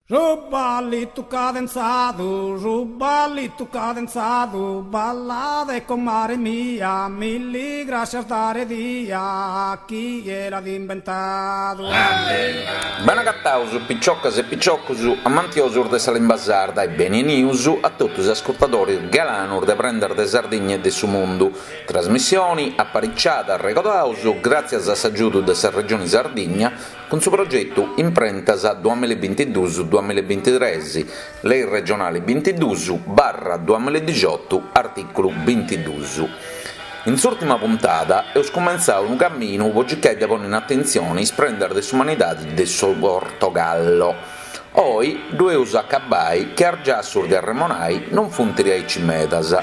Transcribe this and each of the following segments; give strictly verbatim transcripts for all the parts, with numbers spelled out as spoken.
Su ballitu cadenzadu, su ballitu cadenzadu, ballade comare mia, milli grascias dare dia, chie l'at imbentadu. Benagataus piciocas e piciocus amantiosus de sa limba sarda e beni 'enius a totu is ascurtadoris galanus de Prendas de Sardigna e de su Mundu, trasmissioni apariciada, arregodaus, gràtzias a s'agiudu de sa Regioni Sardigna cun su progetu Imprentas duamilla e bintiduus duamilla e bintitres, Lei regionali bintiduus barra duamilla e dixiotu artìculu bintiduus. In s'ùrtima puntada eus cumentzau unu caminu po circai de ponni in atentzione is prendas de s'umanidade de su Portogallo. Oi ddu eus a acabai chi is giassus de arremonai non funt aici medas.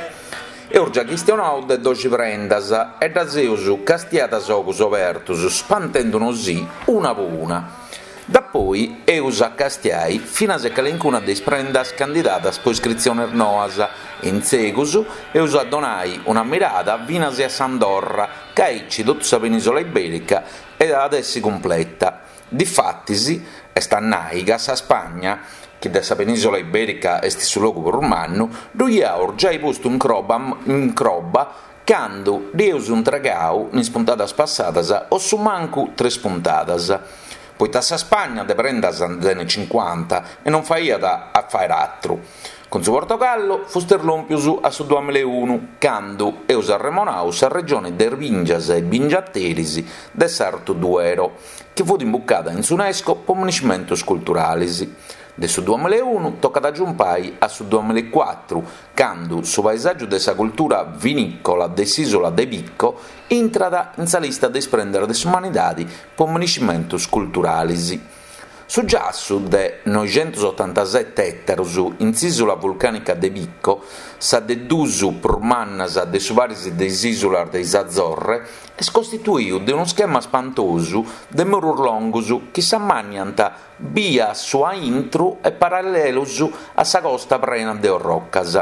Eus giai chistionau de doxi prendas e ddas eus castiadas a ogus obertos, spantendu-nos-sì una po una. Dapoi eus a castiai finas e calincuna de is prendas candidadas po iscritziones noas e in segus eus a donai una mirada finas a s'Andorra, ca aici totu sa penisola iberica at essi cumpleta. Difatis, est a nai ca sa Spagna, chi de sa penisola iberica est su logu prus mannu, ddu iaus giai postu in croba in croba candu dd'eus intregau in is puntadas passadas o su mancu tres puntadas. Poita sa Spagna de prendas nde tenit cincuanta e non faiat a fàere atru. Cun su Portogallo fustis lòmpius a su duamilla e unu, candu eus arremonau sa regione de is bìngias e bingiateris de s'Artu Duero, chi fut imbucada in s'UNESCO po miniscimentos culturales. De su duamilla e unu tocat a giumpai a su duamilla e cuatru, candu su paesàgiu de sa cultura vinìcola de s'ìsula de Pico intrat in sa lista de is prendas de s'umanidade po miniscimentos culturales. Su giassu de noixentosotantasete ètaros in s'ìsula vulcànica de Pico, sa de duus prus mannas de su paris de is ìsulas de is Azorre, est costituidu de unu schema spantosu de murus longus chi s'ammànniant bia su a intro e parallelos a sa costa prena de orrocas.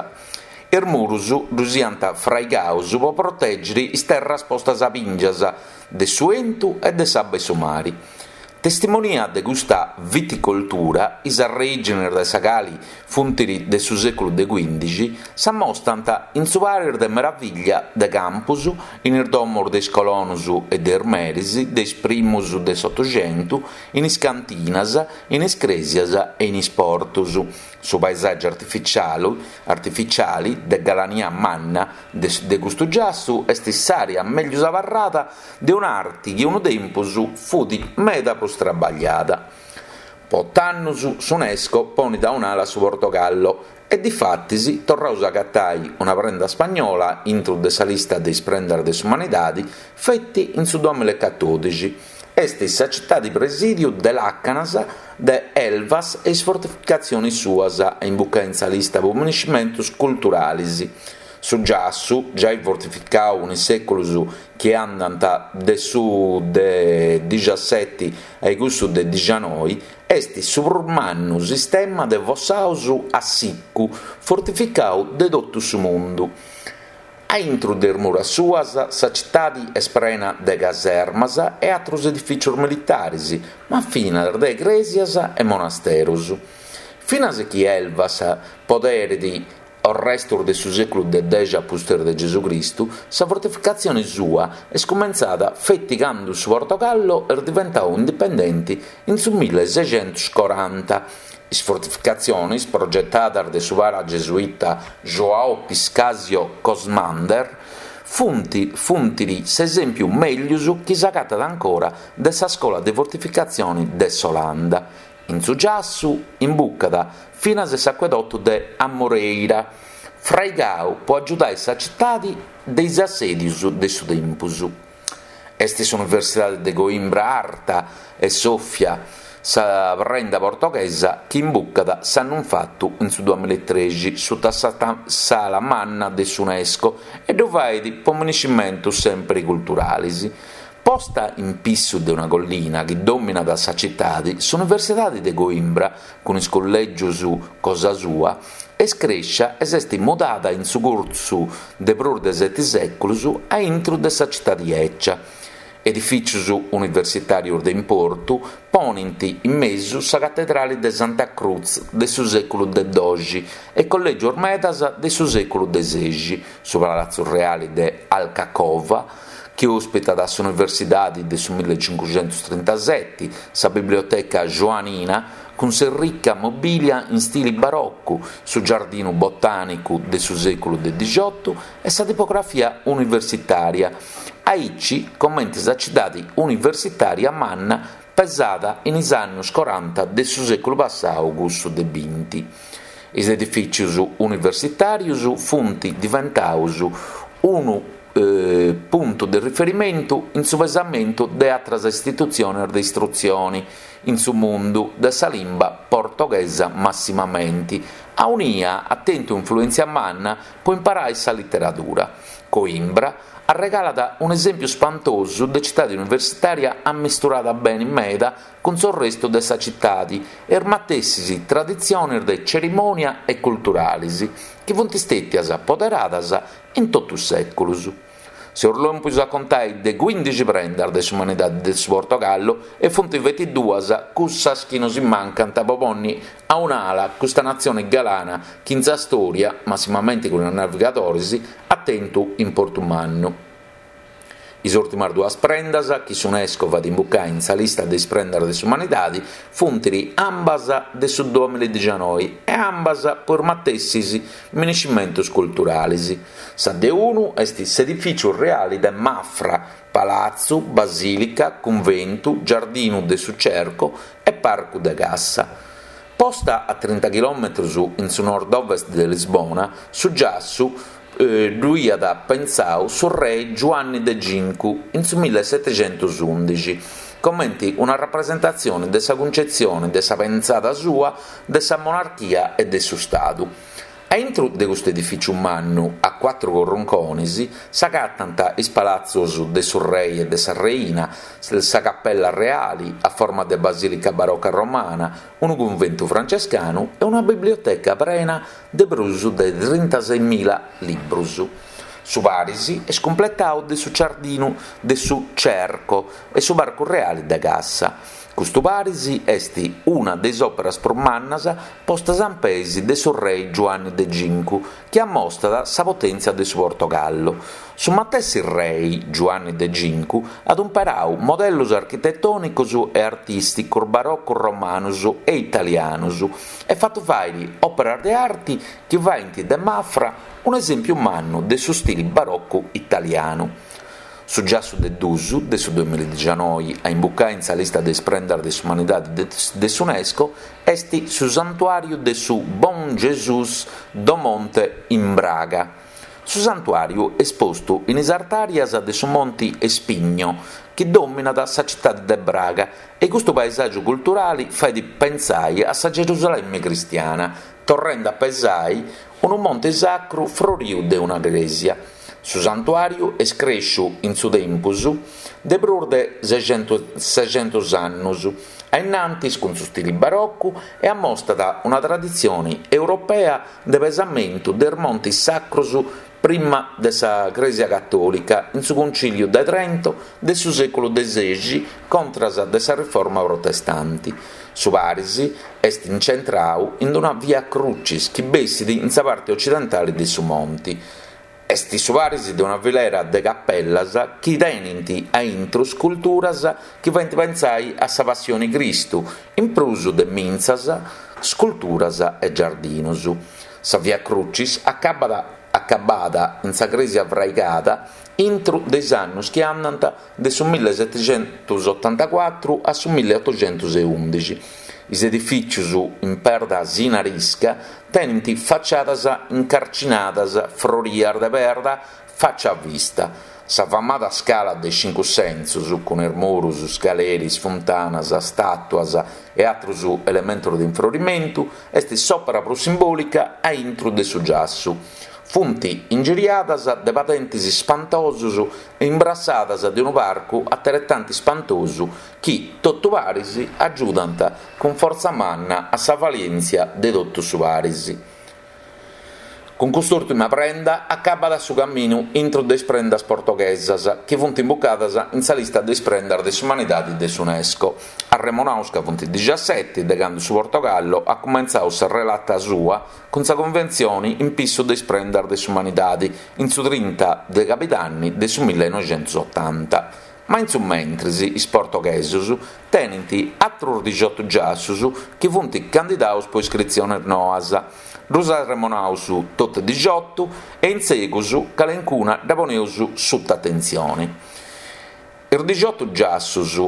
Is murus ddus iant fraigados po protègere is terras postas a bìngias de su 'entu e de s'abba 'e su mare. Testimonia de custa viticoltura, is arrèigines de sa cali funt de su sèculu de cuìndixi, s'ammostant in su paris de meravìllia de campos, in is domos de is colonos e de is meres de is primos de s'Otoxentu, in is cantinas, in is crèsias e in is portos. Su paesàgiu artificiale artificiale de galania manna de de custu giassu est s'àrea mègius abarrada de un'arte chi unu tempus fut meda prus trabagliada. Po oto annos s'UNESCO ponet a un'ala su Portogallo e difatis torraus a agatai una prenda spagnola intro de sa lista de is prendas de s'umanidade feti in su duamilla e catòdixi. Est sa citade presìdiu de làcanas de Elvas e is fortificatziones suas a imbucare in sa lista po miniscimentos culturales. Su giassu, giai fortificadu in is sèculos chi andant de su de dixasete a cussu de dixanoi, est su prus mannu sistema de fossados a sicu fortificadu de totu su mundu. A intro de is muras suas sa citade est prena de casermas e àteros edifìtzios militares, ma finas de crèsias e monasteros. Finas chi Elvas poderet restos de su sèculu de dexi a pustis de Gesù Cristu, sa fortificatzione sua est cumentzada feti cando su Portogallo est diventadu indipendente in su milleseighentoscoranta. Is fortificatziones progetadas de su para gesuita João Piscasio Cosmander funt funt s'esèmpiu mègius chi s'agatat ancora de sa scola de fortificatzione de s'Olanda. In su giassu imbucat finas s'acuedotu de Amoreira, fraigadu po agiudare sa citade de is assèdios de su tempus. Est s'Universidade de Coimbra Arta e Sofia, sa prenda portoghesa chi imbucat s'annu infatu in su duamilla e trexi suta sa sala manna de s'UNESCO e ddu fait po miniscimentos sempre culturales. Posta in pissu de una collina chi dominat sa citade, s'Universidade de Coimbra, cun is collègios cosa sua, est crèschia e s'est mudada in su cursu de prus de sete sèculos a intro de sa citade 'ecia. Edifìtzios universitàrios de importu ponent in mesu sa catedrale de Santa Cruz de su sèculu de dòighi e collègios medas de su sèculu de sèighi, su Palatzu Reale de Alcacova, chi òspitat s'Universidade de su millecincughentostrintasete, sa Biblioteca Joanina, cun s'errica mobìlia in istile barocu, su Giardinu Botànicu de su sèculu de dicioto e sa tipografia universitària, aici comente sa tzitade universitària manna pesada in is annos coranta de su sèculu passadu cussu de binti. Is edifìtzios universitàrios sunt diventados unu puntu de riferimentu in su pesamentu de àteras istitutziones de istrutzione in su mundu de sa limba portoghesa massimamente, aunia at tentu influèntzia manna pro imparare sa literadura. Coimbra arregalat un'esèmpiu ispantosu de tzitade universitària ammisturada bene meda cun su restu de sa tzitade e is matessis traditziones de tzerimònia e culturales chi sunt istètias poderadas in totu is sèculos. Seus lòmpios a contare de quìndixi prendas de s'umanidade de su Portogallu e funt feti duas cussas chi nos mancant pro pònnere a un'ala custa natzione galana chi in sa storia, massimamente cun is navigadores, at tentu importu mannu. Is ùrtimas duas prendas chi s'UNESCO at imbucadu in sa lista de is prendas de s'umanidade funt ambas de su duamilladicianoi e ambas pro is matessis miniscimentos culturales. Sa de unu est s'edifìtziu reale de Mafra, palatzu, basìlica, cunventu, giardinu de su Cerco e parcu de cassa. Posta a trinta chilòmetros in su nord-ovest de Lisbona, su giassu ddu aiat pensadu su re Giuanni de Cincu in su millesetecentosùndixi, comente una rapresentatzione de sa cuncetzione de sa pensada sua de sa monarchia e de su Stadu. A intro de custu edifìtziu mannu, a cuatru corruncones, s'agatant is palatzos de su rei e de sa reina, sa capella reale a forma de basìlica baroca romana, unu cunventu francescanu e una biblioteca prena de prus de trintaseimila libros. Su paris est cumpletadu de su giardinu de su Cerco e su parcu reale de Cassa. Custu paris est una de is òperas prus mannas postas in peis de su rei Giuanni de Cincu, chi ammostat sa potèntzia de su Portogallo. Su matessi rei Giuanni de Cincu at imperadu modellos architetònicos e artìsticos barocos romanos e italianos e fatu fàghere òperas de arte chi faent de Mafra un'esèmpiu mannu de su stile barocco italianu. Su giassu de dusu de su duamilladicianoi a imbucare in sa lista de is prendas de s'umanidade de s'UNESCO est su santuàriu de su Bom Jesus do Monte in Braga. Su santuàriu est postu in is artàrias de su Monte Espinho, chi dominat sa tzitade de Braga, e custu paesàgiu culturale fait pensare a sa Gerusalemme cristiana, torrende a pesare unu monte sacru froriu de una crèsia. Su santuàriu est crèsciu in su tempus de prus de seicentos annos, a innantis cun su stile barocco e ammostat una traditzione europea de pesamentu de is montes sacros prima de sa Crèsia Catòlica in su Concìliu de Trento de su sèculu de sèighi contras de sa Riforma Protestante. Su paris est incentradu in una via crucis chi bessit in sa parte occidentale de su monte. Est su paris de una filera de cappellas chi tenent a intro sculturas chi faent pensare a sa Passione Cristu, in prus de mintzas, sculturas e giardinos. Sa Via Crucis acabada, acabada in sa crèsia fraigada intro de is annos chi andant de su millesetecentosottantacuatro a su milleottocentosundixi. Is edifìtzios in perda sinarisca tenent faciadas incarcinadas frorias de perda faccia a vista. Sa famada scala de cincu sensos, cun is muros, scaleris, funtanas, stàtuas e àteros elementos de infrorimentu, est s'òpera prus simbòlica a intro de su giassu. Funt ingiriadas de padentes ispantosos e imbrassadas de unu parcu ateretantu ispantosu chi, totu paris, agiudant cun fortza manna a sa valèntzia de totu su paris. Cun cust'ùrtima prenda acabat su caminu intro de is prendas portoghesas chi funt imbucadas in sa lista de is prendas de s'umanidade de s'UNESCO. Arremonaus ca funt dixaseti de cando su Portogallo at cumentzadu sa relata sua cun sa Cunventzione in pissu de is prendas de s'umanidade in su trinta de cabidanni de su millenoixentosotanta. Ma in su mentris is portoghesos tenint àteros dixiotu giassos chi funt candidados pro iscritziones noas. Ddus arremonaus totu e dixiotu e in segus calencuna dda poneus suta atentzione. Is dixiotu giassos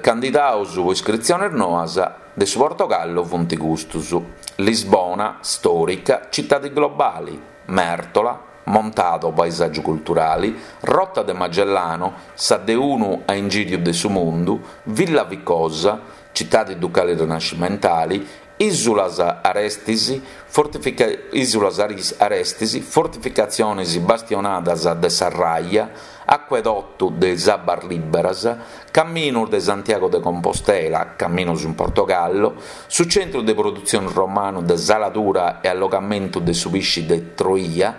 candidados pro iscritziones noas de su Portogallo funt custos: Lisbona, stòrica, citade globale, Mértola, Montado, paesàgiu culturale, Rota de Magellano, sa de unu a ingìriu de su mundu, Villa Vicosa, citade ducale rinascimentale, Ìsulas Arestis, fortifica, Ìsulas Arestis, fortificatziones bastionadas de sa Raia, Acuedotu de is Abbas Lìberas, Caminos de Santiago de Compostela, Caminos in Portogallo, su centru de produtzione romanu de saladura e allogamentu de su pisci de Troia,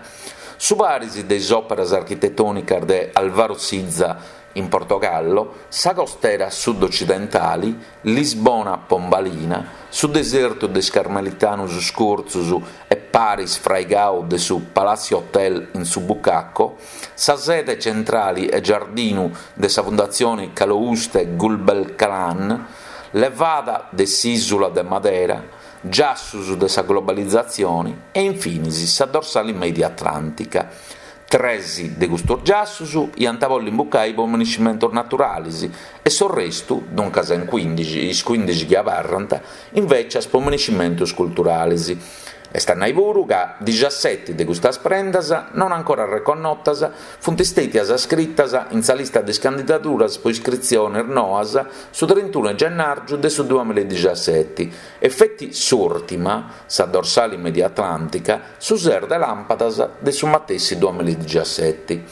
su paris de is òperas architetònicas de Alvaro Siza in Portogallo, sa costera sud-ocidentale, Lisbona Pombalina, su desertu de is Carmelitanos Scurtzus e paris fraigadu de su Palacio Hotel in su Bucaco, sa sede centrale e giardinu de sa Fundatzione Calouste Gulbenkian, levada de s'ìsula de Madera, giassos de sa globalizatzione e infinis sa dorsale media atlàntica. Tres de custos giassos iant a bolli imbucai po miniscimentos naturales e su restu, duncas in quindixi, is quindixi chi abarrant, invecias po miniscimentos culturales. Est a nai puru ca dixaseti de custas prendas, non ancora reconnotas, funt istètias scritas in sa lista de is candidaduras pro iscritziones noas su trintunu de gennàrgiu de su duamilla e dixaseti e feti s'ùrtima, sa dorsale media atlàntica, su ses de làmpadas de su matessi duamilla e dixaseti.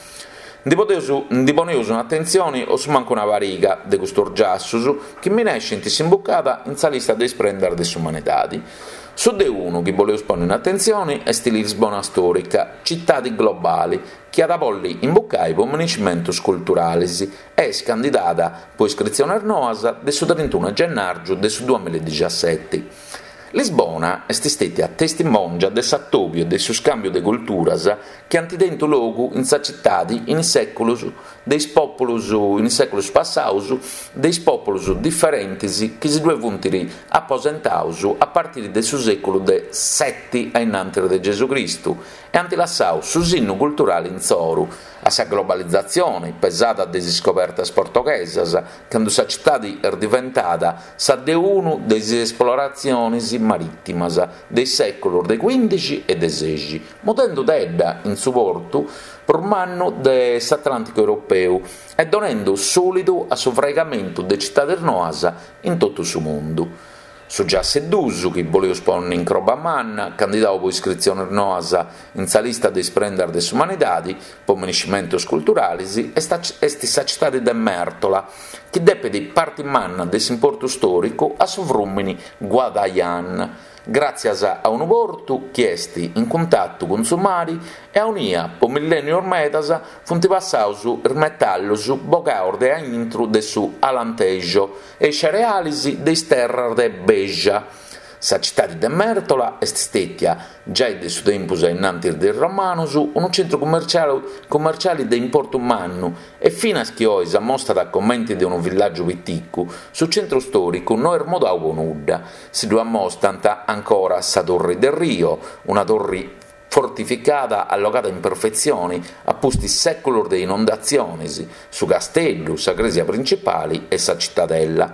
Ndi podeus, ndi poneus un'atentzione o su mancu una pariga de custos giassos chi minescint s'imbucada in sa lista de is prendas de s'umanidade. Su de unu chi boleus ponni in atentzione est Lisbona stòrica, citade globale, chi at a bolli imbucai po miniscimentos culturales e est candidada pro iscritziones noas de su trintunu de gennàrgiu de su duamilla e dixaseti. Lisbona est istètia testimòngia de s'atòbiu e de su scàmbiu de culturas chi ant tentu logu in sa citade in is sèculos de is pòpulos in is sèculos passados de is pòpulos diferentes chi si ddue funt aposentados a partire de su sèculu de sete a innantis de Gesù Cristu e ant lassadu su sinnu culturale insoru a sa globalizatzione pesada de is iscobertas portoghesas cando sa citade est diventada sa de unu de is esploratziones marìtimas de is sèculos de quindixi e de sexi, mudendo tedda in su portu prus mannu de s'Atlànticu europeu e donendo sùlidu a su fraigamentu de citades noas in totu su mundu. Su giassu de dus, chi boleus ponni in croba manna, candidadu pro iscritziones noas in sa lista de is prendas de s'umanidade po miniscimentos culturales, est, est sa citade de Mértola, chi depet parte manna de s'importu stòricu a su frùmini Guadaian, gràtzias a unu portu chi est in cuntatu cun su mare e aunia po millènnios medas funt passados is metallos bogados de a intro de su Alentejo e is cereales de is terras de Beja. Sa citade de Mértola est istètia, giai de su tempus a innantis de is romanos, unu centru commerciale, commerciale de importu mannu e finas chi oe s'ammostat comente de unu villàgiu piticu, su centru stòricu no est mudadu po nudda. Si ddu ammostant ancora sa Torre de Rio, una torre fortificada allogada in perfetzione a pustis sèculos de inundatziones, su casteddu, sa crèsia principale e sa cittadella.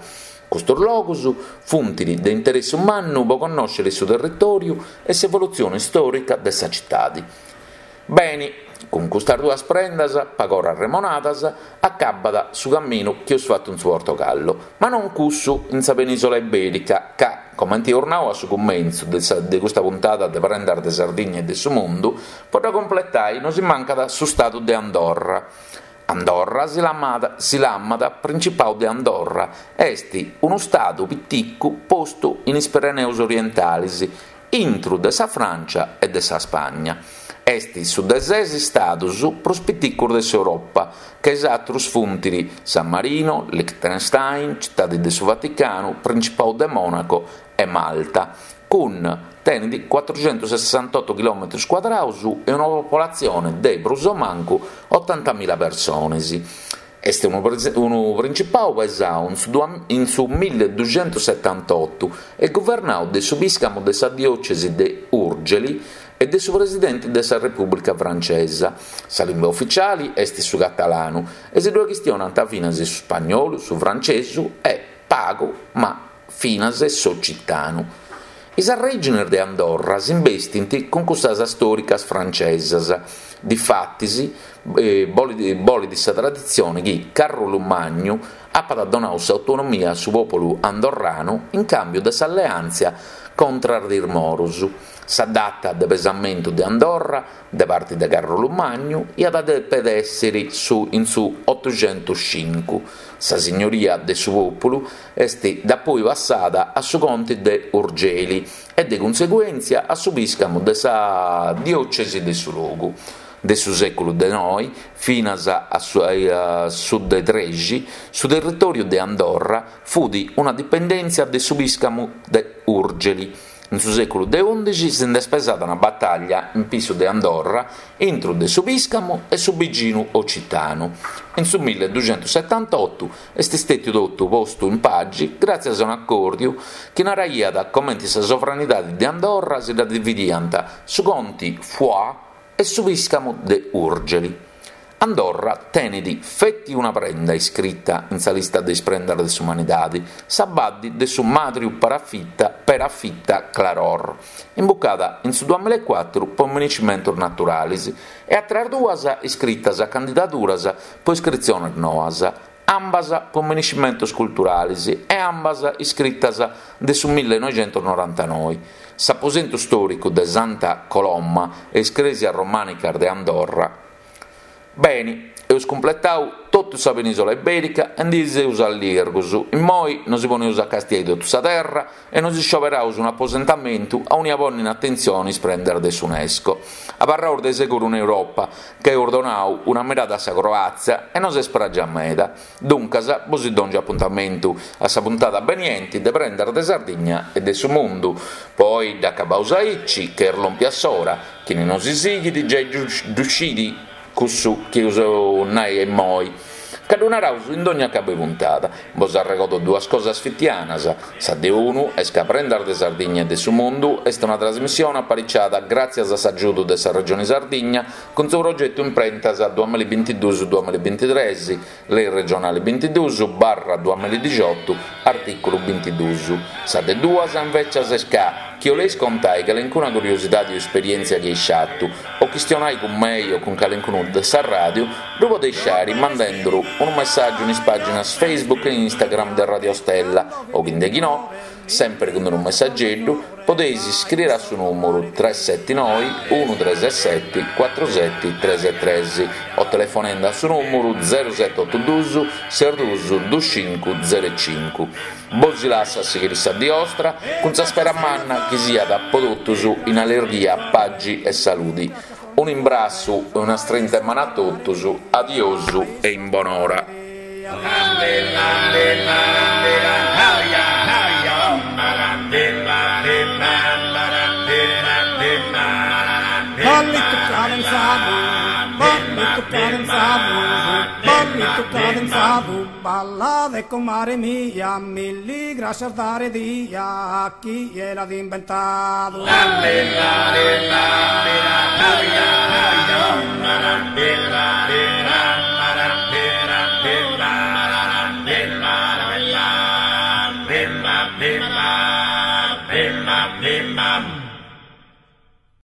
Custos logos funt de interessu mannu po connòschere su territòriu e s'evolutzione istòrica de sa citade. Bene, cun custas duas prendas, pagora arremonadas, acabat su caminu chi eus fatu in su Portogallo, ma non cussu in sa penisola iberica, ca, comente eus nau a su cumentzu de, sa, de custa puntada de Prendas de Sardigna e de su Mundu, po dda completai nos mancat su stadu de Andorra. Andorra si lamada, si lamat Principau de Andorra, est unu stadu piticu postu in is Pireneos orientales, intru de sa Frància e de sa Spagna. Est su de ses istados prus piticos de s'Europa, ca is àteros funt San Marino, Liechtenstein, Citade de su Vaticanu, Principadu de Mònaco e Malta, cun tenet cuatruxentusessantoto chilòmetros cuadrados e una popolatzione de prus o mancu otantamila persones. Est unu unu principadu pesadu in su milleduxentussetantotu e guvernadu de su pìscamu de sa diòcesi de Urgeli e de su presidente de sa Repùblica Francesa. Sa limba ufitziale est su catalanu e si ddoe chistionant finas su spagnolu, su frantzesu e, pagu, ma finas s'ocitanu. Is arrègines de Andorra s'imbestint cun cussas istòricas francesas. Difatis, bolit sa traditzione chi Carrulu Magnu apat donadu s'autonomia a su pòpulu andorranu in càmbiu de s'alleàntzia contra de is moros. Sa data de pesamentu de Andorra de parte de Carrulu Magnu iat a dèpere èssere su in su otoxentuscincu. Sa signoria de su pòpulu est dapoi passada a su conte de Urgeli e de cunseguèntzia a su pìscamu de sa diòcesi de su logu. De su sèculu de noe finas a su de trexi, su territòriu de Andorra fut una dipendèntzia de su pìscamu de Urgeli. In su sèculu de ùndixi si nd'est pesada una batalla in pissu de Andorra intro de su pìscamu e su biginu ocitanu. In su milleduxentussetantotu est istètiu totu postu in pagi gràtzias a un'acòrdiu chi naraiat comente sa sovranidade de Andorra si dda dividiant su conte Foix e su pìscamu de Urgeli. Andorra tenet feti una prenda iscrita in sa lista de is prendas de s'umanidade, sa badde de su Màdriu Perafita Claror, imbucada in su duamilla e cuatru pro minescimentos naturales, e àteras duas iscritas a candidaduras pro iscritziones noas, ambas pro minescimentos culturales e ambas iscritas de su millenoixentusnorantanoe. S'aposentu istòricu de Santa Coloma e is crèsias romànicas de Andorra. Beni, eus cumpletau totu sa penisola iberica e ndi seus allirgus. Immoi nosi poneus a castiai totu sa terra e nos iscioberaus un'aposentamentu aunia ponni in atentzione is prendas de s'UNESCO. Abarraus de seguru in Europa, ca eus donau una mirada a sa Croàtzia e nos est pragia meda. Duncas, bos dòngio apuntamentu a sa puntada benienti de Prendas de Sardigna e de su Mundu. Poi dd'acabaus aici, ca est lòmpia s'ora, chini nosi sighit giai ddu scit cussu chi eus nai immoi, ca ddu naraus in dogna acabu 'e puntada. Bos arregodo duas cosas fitianas. Sa de unu est ca Prendas de Sardigna e de su Mundu est una trasmissione apariciada gràtzias a s'agiudu de sa Regione Sardigna cun su progetu Imprentas duamilla e bintiduus duamilla e bintitres, Lei regionale bintiduus barra duamilla e dixiotu, artìculu bintiduus. Sa de duas, invècias, est ca chi 'oleis contai calencuna curiosidadi o esperièntzia chi eis fatu, o chistionai cun mei o cun calencunu de sa ràdiu, ddu podeis fari mandenduru unu messàgiu in is pàginas Facebook e Instagram de Radio Stella o chi no, semper cun unu messageddu, podeis iscriere a su nùmeru tres seti noi unu tres seti cuatru seti tres tres o telefonende a su nùmeru zero sete otu duus ses duus duus cincu zero cincu. Bos lasso a sighire sa die 'ostra cun sa spera manna chi siat po totus in allerghia, pagi e saludi. Un'imbrassu e una strinta 'e manu a totus, adiosu e in bonora. Ballito cadenzado, ballito cadenzado, ballito cadenzado, balla de comare mia, milli gracias dare dia a chi l'ha inventado.